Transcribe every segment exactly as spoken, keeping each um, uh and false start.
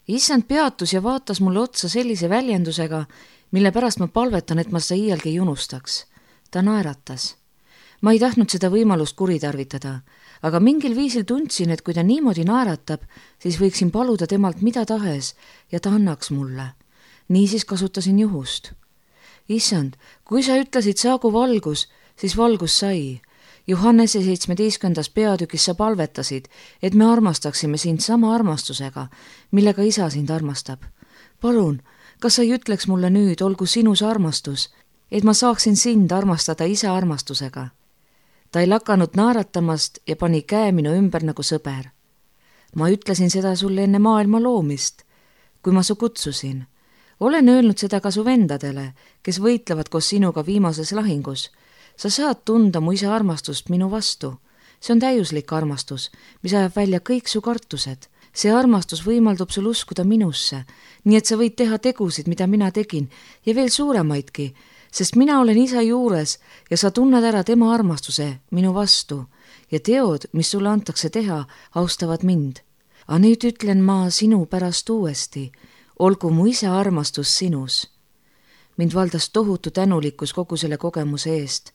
Issand peatus ja vaatas mulle otsa sellise väljendusega, mille pärast ma palvetan, et ma seda iialgi ei unustaks. Ta naeratas. Ma ei tahtnud seda võimalust kuritarvitada, aga mingil viisil tundsin, et kui ta niimoodi naeratab, siis võiksin paluda temalt mida tahes ja ta annaks mulle. Niisiis kasutasin juhust. Issand, kui sa ütlesid saagu valgus, siis valgus sai. Johannese seitsmeteistkümnendas peatükis sa palvetasid, et me armastaksime sind sama armastusega, millega isa sind armastab. Palun, kas sa ei ütleks mulle nüüd, olgu sinus armastus, et ma saaksin sind armastada isa armastusega? Ta ei lakanud naeratamast ja pani käe minu ümber nagu sõber. Ma ütlesin seda sulle enne maailma loomist, kui ma su kutsusin. Olen öelnud seda ka su vendadele, kes võitlevad koos sinuga viimases lahingus. Sa saad tunda mu isa armastust minu vastu. See on täiuslik armastus, mis ajab välja kõik su kartused. See armastus võimaldab sul uskuda minusse, nii et sa võid teha tegusid, mida mina tegin, ja veel suuremaidki, sest mina olen isa juures ja sa tunned ära tema armastuse minu vastu ja teod, mis sulle antakse teha, austavad mind. A nüüd ütlen ma sinu pärast uuesti, olgu mu isa armastus sinus. Mind valdas tohutu tänulikkus kogu selle kogemuse eest.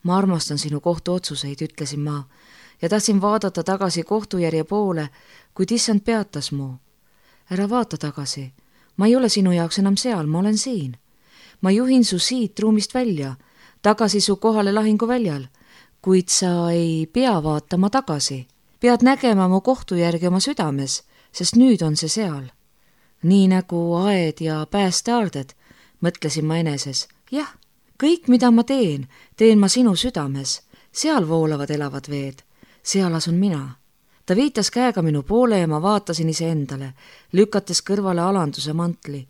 Ma armastan sinu kohtuotsuseid, ütlesin ma, ja tahtsin vaadata tagasi kohtujärje poole, kuid issand peatas mu. Ära vaata tagasi, ma ei ole sinu jaoks enam seal, ma olen siin. Ma juhin su siit ruumist välja, tagasi su kohale lahinguväljal, kuid sa ei pea vaatama tagasi. Pead nägema mu kohtujärgi oma südames, sest nüüd on see seal. Nii nagu aed ja päästeaarded, mõtlesin ma eneses. Jah, kõik, mida ma teen, teen ma sinu südames. Seal voolavad elavad veed, seal asun mina. Ta viitas käega minu poole ja ma vaatasin iseendale, lükates kõrvale alanduse mantli.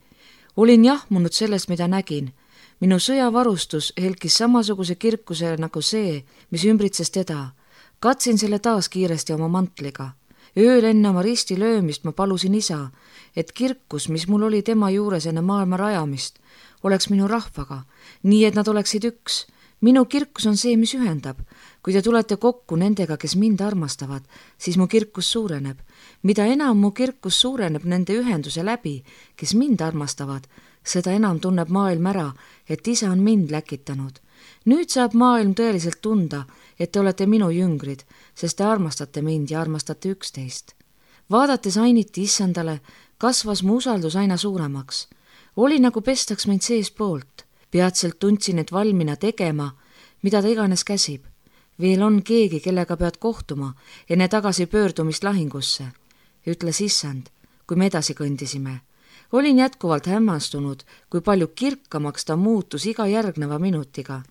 Olin jahmunud sellest, mida nägin. Minu sõjavarustus helkis samasuguse kirkuse nagu see, mis ümbritses teda. Katsin selle taas kiiresti oma mantliga. Ööl enne oma risti löömist ma palusin isa, et kirkus, mis mul oli tema juures enne maailma rajamist, oleks minu rahvaga, nii et nad oleksid üks. Minu kirkus on see, mis ühendab. Kui te tulete kokku nendega, kes mind armastavad, siis mu kirkus suureneb. Mida enam mu kirkus suureneb nende ühenduse läbi, kes mind armastavad, seda enam tunneb maailm ära, et isa on mind läkitanud. Nüüd saab maailm tõeliselt tunda, et te olete minu jüngrid, sest te armastate mind ja armastate üksteist. Vaadates ainiti issandale, kasvas mu usaldus aina suuremaks. Oli nagu pestaks mind sees poolt. Peatselt tundsin, et valmina tegema, mida ta iganes käsib. Veel on keegi, kellega pead kohtuma enne tagasi pöördumist lahingusse, ütles issand, kui me edasi kõndisime. Olin jätkuvalt hämmastunud, kui palju kirkamaks ta muutus iga järgneva minutiga.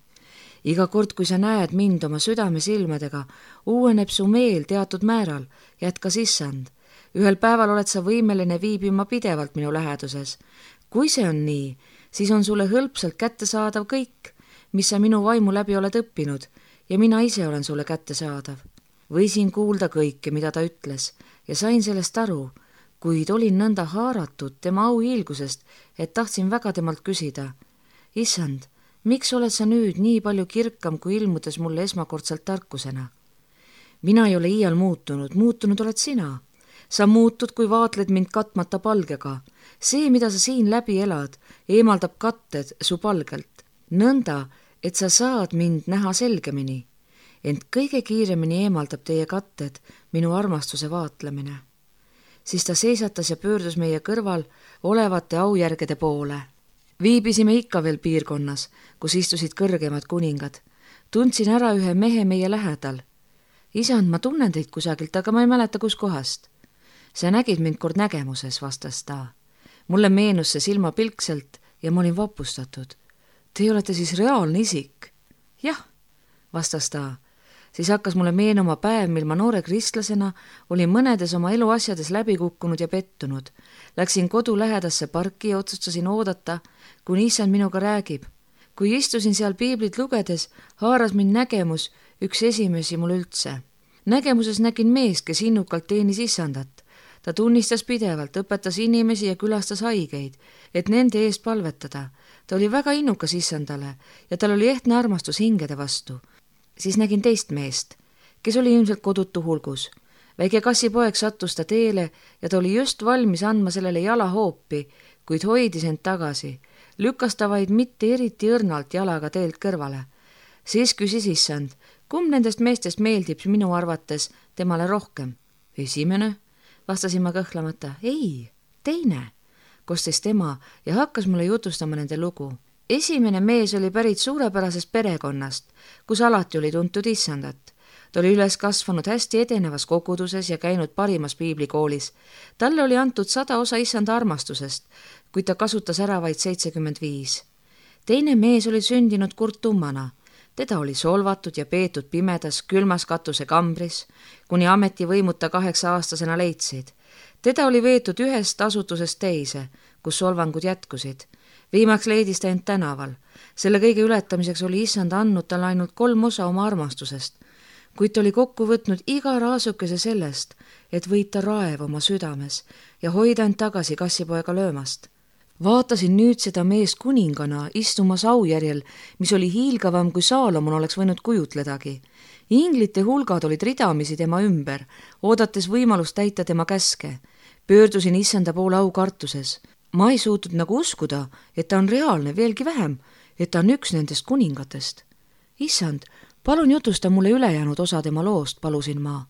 Iga kord, kui sa näed mind oma südame silmadega, uueneb su meel teatud määral, jätkas issand. Ühel päeval oled sa võimeline viibima pidevalt minu läheduses. Kui see on nii, siis on sulle hõlpsalt kättesaadav kõik, mis sa minu vaimu läbi oled õppinud, ja mina ise olen sulle kättesaadav. Võisin kuulda kõike, mida ta ütles, ja sain sellest aru, kuid olin nõnda haaratud tema auhiilgusest, et tahtsin väga temalt küsida. Issand, miks oled sa nüüd nii palju kirkam, kui ilmudes mulle esmakordselt tarkusena? Mina ei ole iial muutunud, muutunud oled sina. Sa muutud, kui vaatled mind katmata palgega. See, mida sa siin läbi elad, eemaldab katted su palgelt. Nõnda, et sa saad mind näha selgemini. Ent kõige kiiremini eemaldab teie katted minu armastuse vaatlemine. Siis ta seisatas ja pöördus meie kõrval olevate aujärgede poole. Viibisime ikka veel piirkonnas, kus istusid kõrgemad kuningad. Tundsin ära ühe mehe meie lähedal. Isand, ma tunnen teid kusagilt, aga ma ei mäleta kus kohast. Sa nägid mind kord nägemuses, vastas ta. Mulle meenus see silmapilkselt ja ma olin vapustatud. Te olete siis reaalne isik? Jah, vastas ta. Siis hakkas mulle meenuma päev, mil ma noore kristlasena olin mõnedes oma eluasjades läbi kukkunud ja pettunud. Läksin kodu lähedasse parki ja otsustasin oodata, kuni issand minuga räägib. Kui istusin seal piiblit lugedes, haaras mind nägemus, üks esimesi mul üldse. Nägemuses nägin meest, kes innukalt teenis issandat. Ta tunnistas pidevalt, õpetas inimesi ja külastas haigeid, et nende eest palvetada. Ta oli väga innukas issandale ja tal oli ehtne armastus hingede vastu. Siis nägin teist meest, kes oli ilmselt kodutu hulgus. väike kassipoeg sattus ta teele ja ta oli just valmis andma sellele jalahoopi, kuid hoidis end tagasi, lükkas ta vaid mitte eriti õrnalt jalaga teelt kõrvale. Siis küsis issand, kumb nendest meestest meeldib minu arvates temale rohkem? Esimene, vastasin ma kõhklemata. Ei, teine, kostis tema ja hakkas mulle jutustama nende lugu. Esimene mees oli pärit suurepärasest perekonnast, kus alati oli tuntud issandat. Ta oli üles kasvanud hästi edenevas koguduses ja käinud parimas piiblikoolis. Talle oli antud sada osa issanda armastusest, kuid ta kasutas ära vaid seitsekümmend viis. Teine mees oli sündinud kurtummana. Teda oli solvatud ja peetud pimedas külmas katuse kambris, kuni ametivõimud ta kaheksa aastasena leidsid. Teda oli veetud ühest asutusest teise, kus solvangud jätkusid. Viimaks leidis ta end tänaval. Selle kõige ületamiseks oli issand andnud talle ainult kolm osa oma armastusest, kuid ta oli kokku võtnud iga raasukese sellest, et võita raev oma südames ja hoida end tagasi kassipoega löömast. Vaatasin nüüd seda meest kuningana istumas aujärjel, mis oli hiilgavam kui Saalomon oleks võinud kujutledagi. Inglite hulgad olid ridamisi tema ümber, oodates võimalust täita tema käske. Pöördusin issanda poole aukartuses. Ma ei suutnud nagu uskuda, et ta on reaalne, veelgi vähem, et ta on üks nendest kuningatest. Issand, palun jutusta mulle ülejäänud osa tema loost, palusin ma.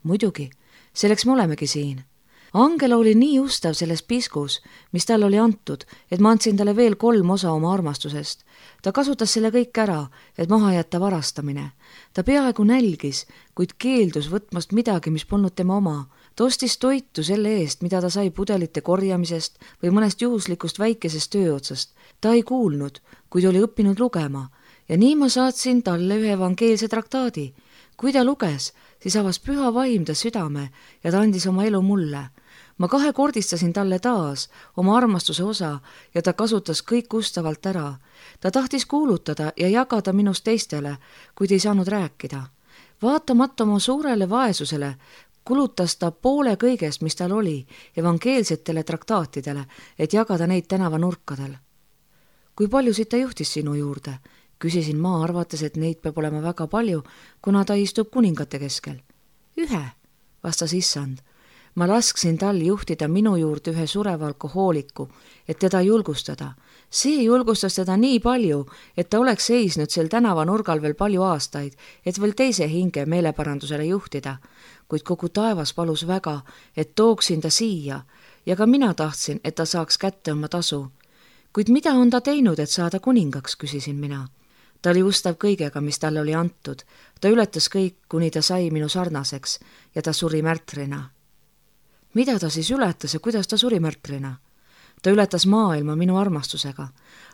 Muidugi, selleks me olemegi siin. Angela oli nii ustav selles piskus, mis talle oli antud, et ma andsin talle veel kolm osa oma armastusest. Ta kasutas selle kõik ära, et maha jätta varastamine. Ta peaaegu nälgis, kuid keeldus võtmast midagi, mis polnud tema oma. Ta ostis toitu selle eest, mida ta sai pudelite korjamisest või mõnest juhuslikust väikesest tööotsast. Ta ei kuulnud, kuid oli õppinud lugema ja nii ma saatsin talle ühe evangeelse traktaadi. Kui ta luges, siis avas püha vaim ta südame ja ta andis oma elu mulle. Ma kahekordistasin talle taas oma armastuse osa ja ta kasutas kõik ustavalt ära. Ta tahtis kuulutada ja jagada minust teistele, kuid ei saanud rääkida. Vaatamata oma suurele vaesusele kulutas ta poole kõigest, mis tal oli, evangeelsetele traktaatidele, et jagada neid tänavanurkadel. Kui paljusid ta juhtis sinu juurde? Küsisin ma, arvates, et neid peab olema väga palju, kuna ta istub kuningate keskel. Ühe, vastas issand. Ma lasksin tal juhtida minu juurde ühe sureva alkohooliku, et teda julgustada. See julgustas teda nii palju, et ta oleks seisnud sel tänavanurgal veel palju aastaid, et veel teise hinge meeleparandusele juhtida. Kuid kogu taevas palus väga, et tooksin ta siia ja ka mina tahtsin, et ta saaks kätte oma tasu. Kuid mida on ta teinud, et saada kuningaks, küsisin mina. Ta oli ustav kõigega, mis talle oli antud. Ta ületas kõik, kuni ta sai minu sarnaseks ja ta suri märtrina. Mida ta siis ületas ja kuidas ta suri märtrina? Ta ületas maailma minu armastusega.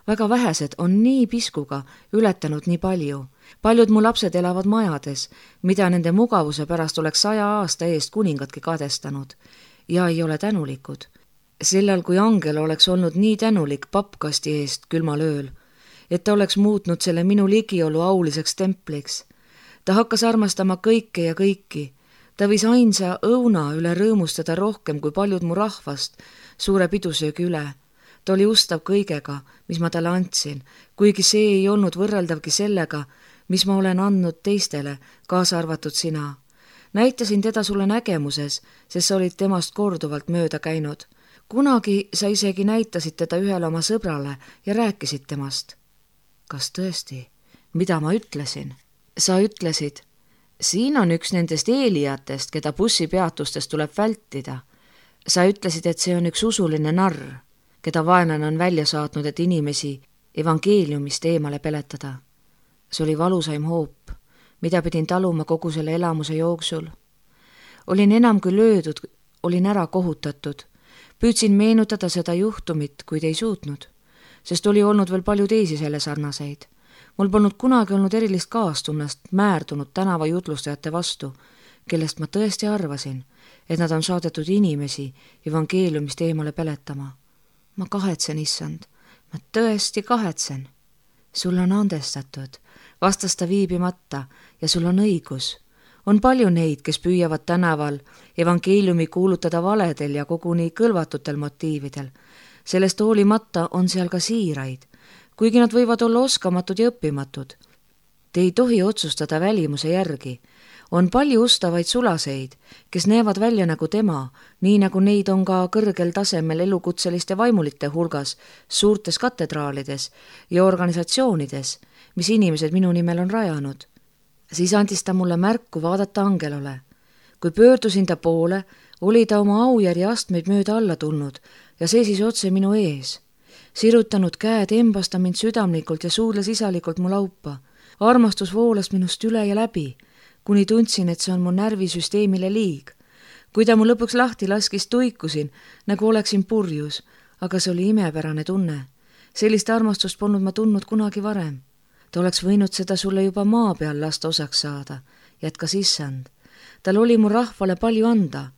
Väga vähesed on nii piskuga ületanud nii palju. Paljud mu lapsed elavad majades, mida nende mugavuse pärast oleks saja aasta eest kuningatki kadestanud ja ei ole tänulikud. Sellal, kui Angel oleks olnud nii tänulik pappkasti eest külmal ööl, et ta oleks muutnud selle minu ligiolu auliseks templiks. Ta hakkas armastama kõike ja kõiki. Ta võis ainsa õuna üle rõõmustada rohkem kui paljud mu rahvast suure pidusöögi üle. Ta oli ustav kõigega, mis ma talle andsin, kuigi see ei olnud võrreldavgi sellega, mis ma olen andnud teistele, kaasa arvatud sina. Näitasin teda sulle nägemuses, sest sa olid temast korduvalt mööda käinud. Kunagi sa isegi näitasid teda ühele oma sõbrale ja rääkisid temast. Kas tõesti? Mida ma ütlesin? Sa ütlesid, siin on üks nendest eelijatest, keda bussipeatustest tuleb vältida. Sa ütlesid, et see on üks usuline narr, keda vaenlane on välja saatnud, et inimesi evangeeliumist eemale peletada. See oli valusaim hoop, mida pidin taluma kogu selle elamuse jooksul. Olin enam kui löödud, olin ära kohutatud. Püüdsin meenutada seda juhtumit, kuid ei suutnud, sest oli olnud veel palju teisi selle sarnaseid. Mul polnud kunagi olnud erilist kaastunnast määrdunud tänava jutlustajate vastu, kellest ma tõesti arvasin, et nad on saadetud inimesi evangeeliumist eemale peletama. Ma kahetsen, issand, ma tõesti kahetsen. Sul on andestatud, vastas ta viibimata ja sul on õigus. On palju neid, kes püüavad tänaval evangeeliumi kuulutada valedel ja koguni kõlvatutel motiividel. Sellest hoolimata on seal ka siiraid, kuigi nad võivad olla oskamatud ja õppimatud. Te ei tohi otsustada välimuse järgi. on palju ustavaid sulaseid, kes näevad välja nagu tema, nii nagu neid on ka kõrgel tasemel elukutseliste vaimulite hulgas, suurtes katedraalides ja organisatsioonides, mis inimesed minu nimel on rajanud. Siis andis ta mulle märku vaadata Angelole. Kui pöördusin ta poole, oli ta oma aujärje astmeid mööda alla tulnud ja seisis otse minu ees. Sirutanud käed embas ta mind südamlikult ja suudles isalikult mu laupa. Armastus voolas minust üle ja läbi, kuni tundsin, et see on mu närvisüsteemile liig. Kui ta mu lõpuks lahti laskis, tuikusin, nagu oleksin purjus, aga see oli imepärane tunne. Sellist armastust polnud ma tundnud kunagi varem. Ta oleks võinud seda sulle juba maa peal lasta osaks saada, jätkas issand. Tal oli mu rahvale palju anda,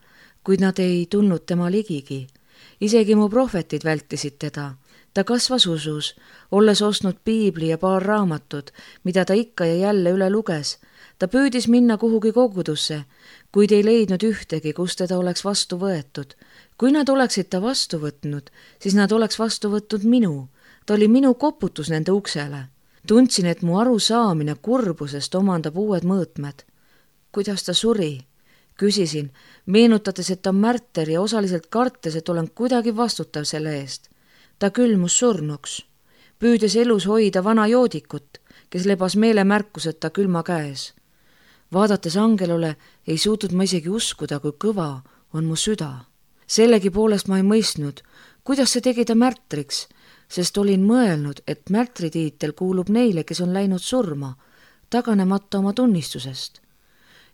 kuid nad ei tulnud tema ligigi. Isegi mu prohvetid vältisid teda. Ta kasvas usus, olles ostnud piibli ja paar raamatut, mida ta ikka ja jälle üle luges. Ta püüdis minna kuhugi kogudusse, kuid ei leidnud ühtegi, kus teda oleks vastu võetud. Kui nad oleksid ta vastu võtnud, siis nad oleks vastu võtnud minu. Ta oli minu koputus nende uksele. Tundsin, et mu arusaamine kurbusest omandab uued mõõtmed. Kuidas ta suri? Küsisin, meenutades, et ta on märter ja osaliselt kartes, et olen kuidagi vastutav selle eest. Ta külmus surnuks, püüdes elus hoida vana joodikut, kes lebas meelemärkuseta külma käes. Vaadates Angelole ei suutnud ma isegi uskuda, kui kõva on mu süda. Sellegi poolest ma ei mõistnud, kuidas see tegi ta märtriks, sest olin mõelnud, et märtritiitel kuulub neile, kes on läinud surma, taganemata oma tunnistusest.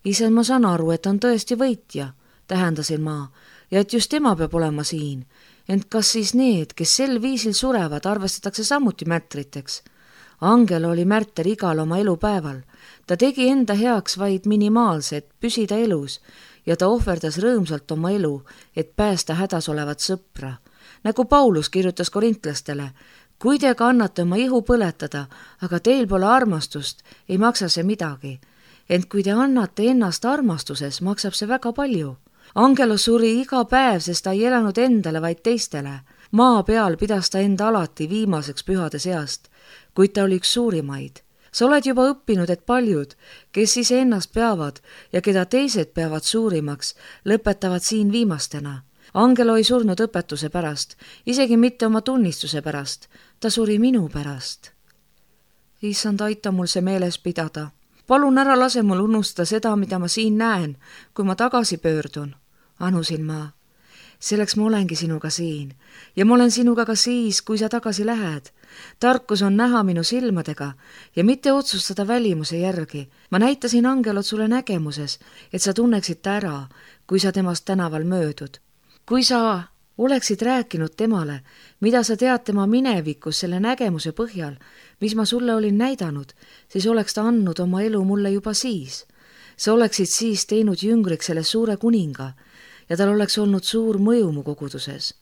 Ise ma saan aru, et on tõesti võitja, tähendasin ma, ja et just tema peab olema siin. Ent kas siis need, kes sel viisil surevad, arvestatakse samuti märtriteks? Angel oli märter igal oma elupäeval. Ta tegi enda heaks vaid minimaalset, püsida elus ja ta ohverdas rõõmsalt oma elu, et päästa hädas olevat sõpra. Nagu Paulus kirjutas korintlastele, kui te ka annate oma ihu põletada, aga teil pole armastust, ei maksa see midagi. Ent kui te annate ennast armastuses, maksab see väga palju. Angelo suri iga päev, sest ta ei elanud endale, vaid teistele. Maa peal pidas ta enda alati viimaseks pühade seast, kuid ta oli üks suurimaid. Sa oled juba õppinud, et paljud, kes ise ennast peavad ja keda teised peavad suurimaks, lõpetavad siin viimastena. Angelo ei surnud õpetuse pärast, isegi mitte oma tunnistuse pärast. Ta suri minu pärast. Issand, aita mul see meeles pidada. Palun ära lase mul unustada seda, mida ma siin näen, kui ma tagasi pöördun. Anusin ma. Selleks ma olengi sinuga siin ja ma olen sinuga ka siis, kui sa tagasi lähed. Tarkus on näha minu silmadega ja mitte otsustada välimuse järgi. Ma näitasin Angelot sulle nägemuses, et sa tunneksid ta ära, kui sa temast tänaval möödud. Kui sa oleksid rääkinud temale, mida sa tead tema minevikus selle nägemuse põhjal, mis ma sulle olin näidanud, siis oleks ta andnud oma elu mulle juba siis. Sa oleksid siis teinud jüngriks selle suure kuninga ja tal oleks olnud suur mõju mu koguduses.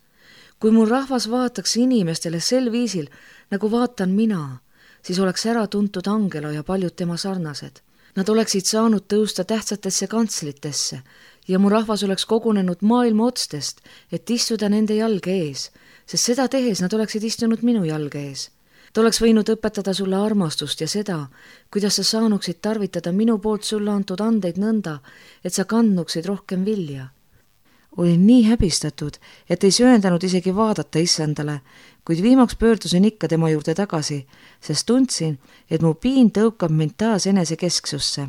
Kui mul rahvas vaataks inimestele sel viisil, nagu vaatan mina, siis oleks ära tuntud Angelo ja paljud tema sarnased. Nad oleksid saanud tõusta tähtsatesse kantslitesse ja mu rahvas oleks kogunenud maailma otstest, et istuda nende jalge ees, sest seda tehes nad oleksid istunud minu jalge ees. Ta oleks võinud õpetada sulle armastust ja seda, kuidas sa saanuksid tarvitada minu poolt sulle antud andeid nõnda, et sa kandnuksid rohkem vilja. Olin nii häbistatud, et ei sööndanud isegi vaadata issandale, kuid viimaks pöördusin ikka tema juurde tagasi, sest tundsin, et mu piin tõukab mind taas enesekesksusse.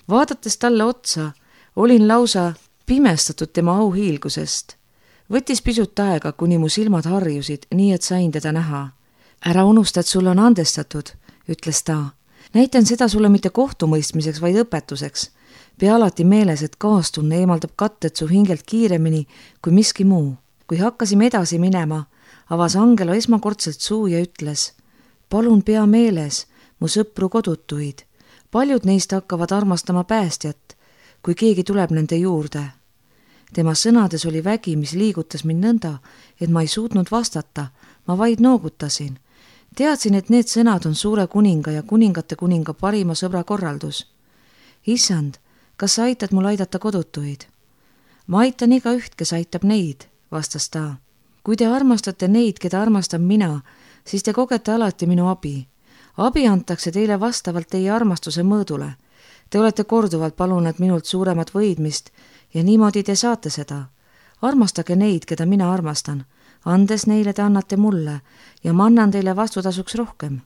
Vaadates talle otsa, olin lausa pimestatud tema auhiilgusest. Võttis pisut aega, kuni mu silmad harjusid, nii et sain teda näha. Ära unusta, et sulle on andestatud, ütles ta. Näitan seda sulle mitte kohtumõistmiseks, vaid õpetuseks. Pea alati meeles, et kaastunne eemaldab katted su hingelt kiiremini kui miski muu. Kui hakkasime edasi minema, avas Angelo esmakordselt suu ja ütles, palun pea meeles mu sõpru kodutuid. Paljud neist hakkavad armastama päästjat, kui keegi tuleb nende juurde. Tema sõnades oli vägi, mis liigutas mind nõnda, et ma ei suutnud vastata, ma vaid noogutasin. Teadsin, et need sõnad on suure kuninga ja kuningate kuninga parima sõbra korraldus. Issand, kas sa aitad mul aidata kodutuid? Ma aitan iga üht, kes aitab neid, vastas ta. Kui te armastate neid, keda armastan mina, siis te kogete alati minu abi. Abi antakse teile vastavalt teie armastuse mõõdule. Te olete korduvalt palunud minult suuremat võidmist ja niimoodi te saate seda. Armastage neid, keda mina armastan. Andes neile te annate mulle ja ma annan teile vastutasuks rohkem.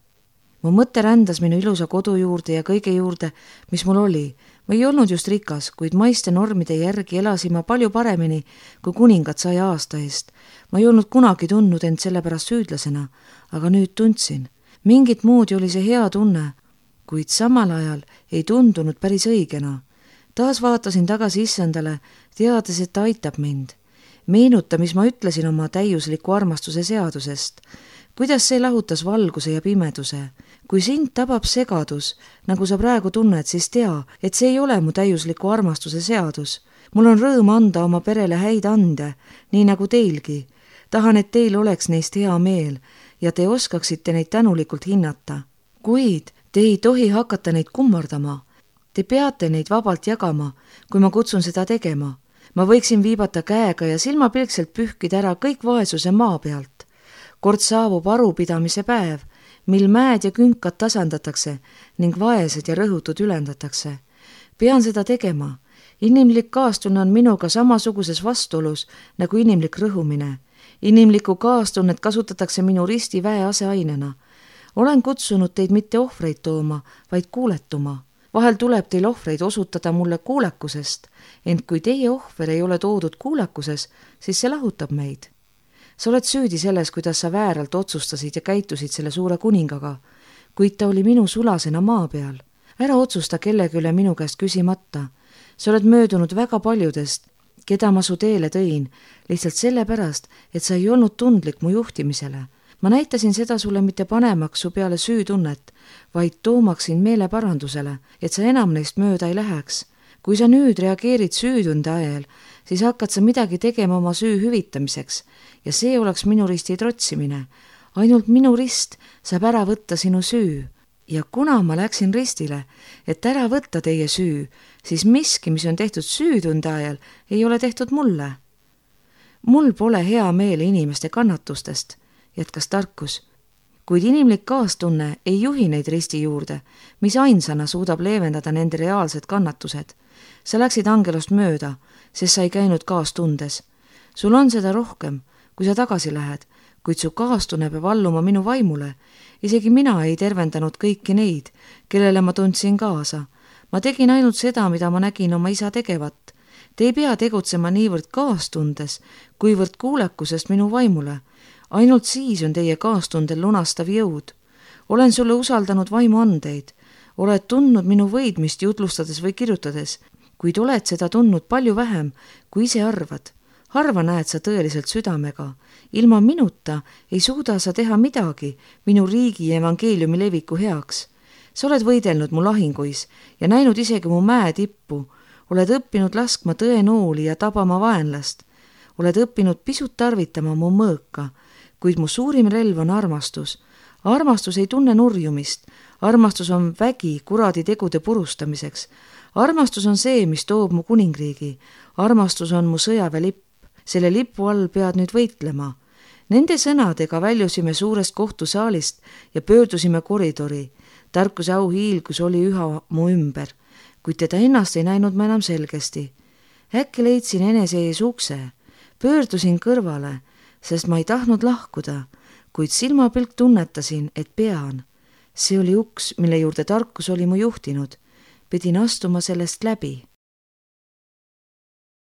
Mu mõte rändas minu ilusa kodu juurde ja kõige juurde, mis mul oli. Ma ei olnud just rikas, kuid maiste normide järgi elasin ma palju paremini kui kuningat saja aasta eest. Ma ei olnud kunagi tundnud end selle pärast süüdlasena, aga nüüd tundsin. Mingit moodi oli see hea tunne, kuid samal ajal ei tundunud päris õigena. Taas vaatasin tagasi issandale, teades, et ta aitab mind. Meenuta, mis ma ütlesin oma täiusliku armastuse seadusest. Kuidas see lahutas valguse ja pimeduse. Kui sind tabab segadus, nagu sa praegu tunned, siis tea, et see ei ole mu täiusliku armastuse seadus. Mul on rõõm anda oma perele häid ande, nii nagu teilgi. Tahan, et teil oleks neist hea meel ja te oskaksite neid tänulikult hinnata. Kuid te ei tohi hakata neid kummardama. Te peate neid vabalt jagama, kui ma kutsun seda tegema. Ma võiksin viibata käega ja silmapilkselt pühkida ära kõik vaesuse maa pealt. Kord saabub arupidamise päev, mil mäed ja künkad tasandatakse ning vaesed ja rõhutud ülendatakse. Pean seda tegema. Inimlik kaastunne on minuga samasuguses vastuolus nagu inimlik rõhumine. Inimlikku kaastunnet kasutatakse minu risti väe aseainena. Olen kutsunud teid mitte ohvreid tooma, vaid kuuletuma. Vahel tuleb teil ohvreid osutada mulle kuulekusest, ent kui teie ohver ei ole toodud kuulekuses, siis see lahutab meid. Sa oled süüdi selles, kuidas sa vääralt otsustasid ja käitusid selle suure kuningaga, kuid ta oli minu sulasena maa peal. Ära otsusta kellegi üle minu käest küsimata. Sa oled möödunud väga paljudest, keda ma su teele tõin, lihtsalt sellepärast, et sa ei olnud tundlik mu juhtimisele. Ma näitasin seda sulle mitte panemaks su peale süütunnet, vaid toomaksin meeleparandusele, et sa enam neist mööda ei läheks. Kui sa nüüd reageerid süütunde ajal, siis hakkad sa midagi tegema oma süü hüvitamiseks ja see oleks minu risti trotsimine. Ainult minu rist saab ära võtta sinu süü. Ja kuna ma läksin ristile, et ära võtta teie süü, siis miski, mis on tehtud süütunde ajal, ei ole tehtud mulle. Mul pole hea meel inimeste kannatustest, jätkas tarkus, kuid inimlik kaastunne ei juhi neid risti juurde, mis ainsana suudab leevendada nende reaalsed kannatused. Sa läksid angelost mööda, sest sa ei käinud kaastundes. Sul on seda rohkem, kui sa tagasi lähed, kuid su kaastunne peab alluma minu vaimule. Isegi mina ei tervendanud kõiki neid, kellele ma tundsin kaasa. Ma tegin ainult seda, mida ma nägin oma isa tegevat. Te ei pea tegutsema niivõrd kaastundes, kuivõrd kuulekusest minu vaimule. Ainult siis on teie kaastundel lunastav jõud. Olen sulle usaldanud vaimuandeid. Oled tundnud minu võidmist jutlustades või kirjutades, kuid oled seda tundnud palju vähem, kui ise arvad. Harva näed sa tõeliselt südamega. Ilma minuta ei suuda sa teha midagi minu riigi evangeeliumi leviku heaks. Sa oled võidelnud mu lahinguis ja näinud isegi mu mäe tippu. Oled õppinud laskma tõenooli ja tabama vaenlast. Oled õppinud pisut tarvitama mu mõõka, kuid mu suurim relv on armastus. Armastus ei tunne nurjumist. Armastus on vägi kuradi tegude purustamiseks. Armastus on see, mis toob mu kuningriigi. Armastus on mu sõjaväelipp. Selle lipu all pead nüüd võitlema. Nende sõnadega väljusime suurest kohtusaalist ja pöördusime koridori. Tarkuse au hiilgus oli üha mu ümber, kuid teda ennast ei näinud ma enam selgesti. Äkki leidsin enese ees ukse. Pöördusin kõrvale, sest ma ei tahtnud lahkuda, kuid silmapilk tunnetasin, et pean. See oli uks, mille juurde tarkus oli mu juhtinud. Pidin astuma sellest läbi.